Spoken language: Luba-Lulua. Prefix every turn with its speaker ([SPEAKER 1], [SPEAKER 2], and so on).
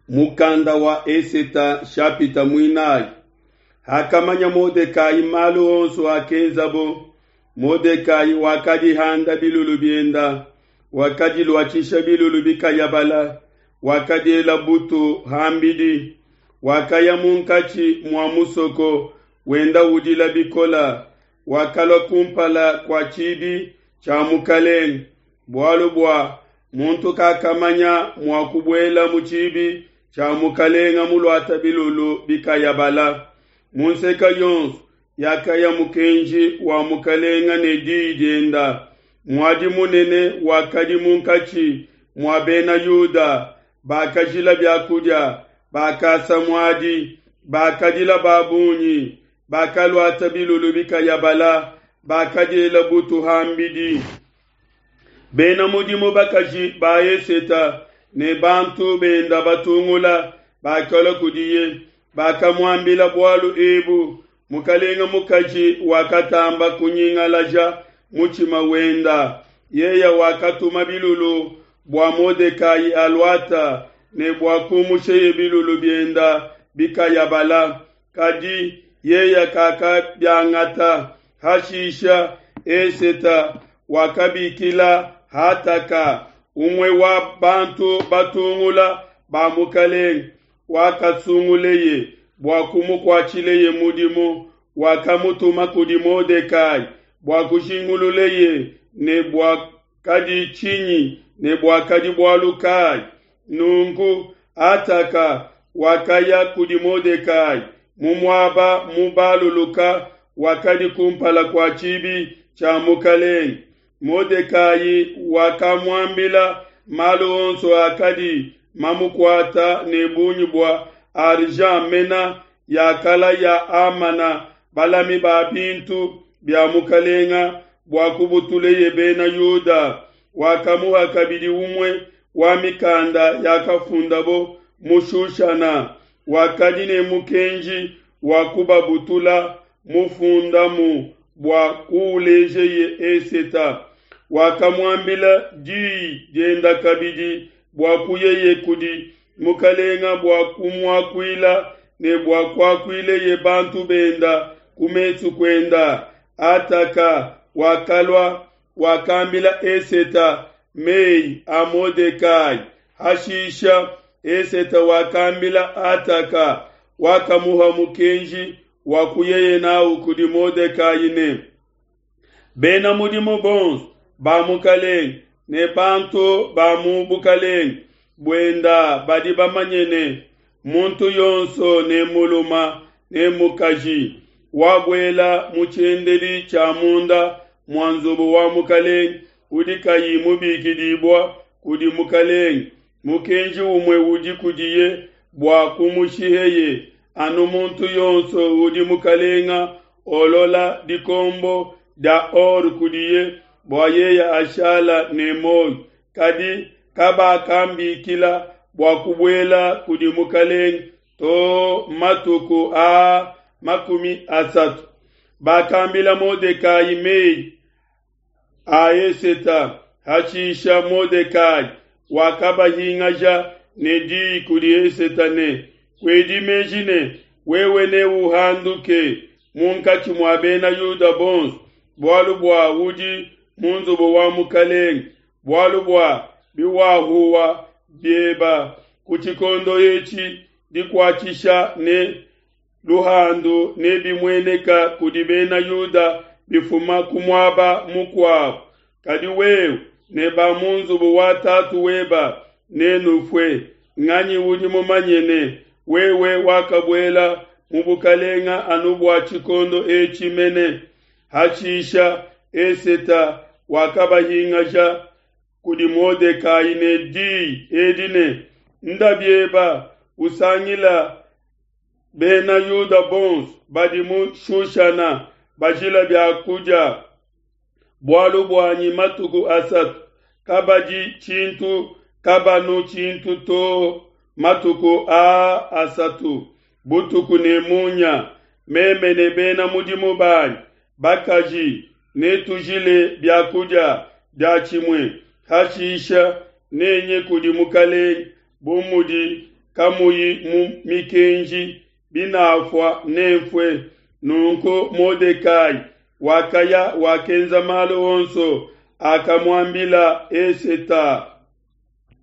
[SPEAKER 1] Mukanda wa Eseta nshapita muinayi. Hakamanya Modekai malu onso akenzabo, Modekai wakadihanda bilulu bienda, wakadiluatshisha bilulu bikayabala, wakadiela butu ham'bidi, wakaya munkatshi mua musoko wenda udila bikole, wakalua ku mpala kua tshibi tshia mukelenge, bualu bua muntu kakamanya mua kubuela mu tshibi tshia mukelenge muluate bilulu bikayabala. Mu nseke yonso yakaya mukenji wa mukelenge ne diyi dienda, muadi munene wakadi munkatshi mua Bena Yuda, bakajila bia kudia, bakasa muadi, bakadila ba bungi, bakaluata bilulu bikayabala, bakadiela butu ham'bidi. Bena mudimu bakaji ba Eseta ne bantu benda batungula bakalua kudiye, bakamuambila bualu ebu. Mukelenge mukaji wakatamba kunyingalaja mutshima wenda. Yeye wakatuma bilulu bua Modekai aluata ne bua kumusheye bilulu bienda bikayabala, kadi yeye kakabiangata. Hashisha Eseta wakabikila Hataka, umue wa bantu batungula ba mukelenge, wakasunguleye bua kumukuatshileye mudimu, wakamutuma kudi Modekai bua kujingululeye ne buakadi tshinyi ne buakadi bualu kai. Nunku Hataka wakaya kudi Modekai mu muaba mubaluluka wakadi kumpala kua tshibi tshia mukelenge. Modekai wakamuambila malu onso akadi mamukuata ne bungi bua argent mena yakalaya Hamana balami ba bintu bia mukelenge bua kubutuleye Bena Yuda. Wakamuha kabidi umue wa mikanda yakafundabo mu Shushana, wakadi ne mukenji wa kubabutula mufundamu bua kuulejeye Eseta. Wakamuambila diyi dienda kabidi bua kuyeye kudi mukelenge bua kumuakuila ne bua kuakuileye bantu benda ku mesu kuenda. Hataka wakalua, wakambila Eseta mei a Modekai. Hashisha Eseta wakambila Hataka, wakamuha mukenji wa kuyeye n'au kudi Modekai ne, Bena mudimu bonso ba mukelenge ne bantu ba mu bukelenge buenda badi bamanye ne, muntu yonso ne mulume ne mukaji wabuela mu tshiendedi tshia munda mua nzubu wa mukelenge udi kayi mubikidibua kudi mukelenge, mukenji umue udi kudiye bua kumushiheye, anu muntu yonso udi mukelenge olola dikombo dia or kudiye bua yeye ashala ne muoyo. Kadi kabakambikila bua kubuela kudi mukelenge to matuku aa 30. Bakambila Modekai mei a Eseta. Hashisha Modekai wakabahingaja ne diyi kudi Eseta ne, Kuedi meji ne, wewe neuhanduke munkatshi mua Bena Yuda bonso, bualu bua udi mu nzubu wa mukelenge, bualu bua biwahuwa bieba ku tshikondo etshi dikuatshisha ne luhandu nebimueneka kudi Bena Yuda bifuma ku muaba mukuabo. Kadi wewe ne ba mu nzubu wa tatu weba nenufue. Nganyi udi mumanye ne, wewe wakabuela mu bukelenge anu bua tshikondo etshi mene? Hashisha Eseta wakabahingaja kudi Modekai ne diyi edi ne, Nda bieba usangila Bena Yuda bonso badi mu Shushana bajila bia kudia bualu buanyi matuku asatu, kabadi tshintu kabanu tshintu to matuku aa asatu, butuku ne munya. Meme ne bena mudimu banyi bakaji netujile bia kudia diatshimue. Hashisha nenye kudi mukelenge bu mudi. kamuyi mu mikenji, binafua, nenfue. Nunku Modekai wakaya, wakenza malu onso akamuambila Eseta.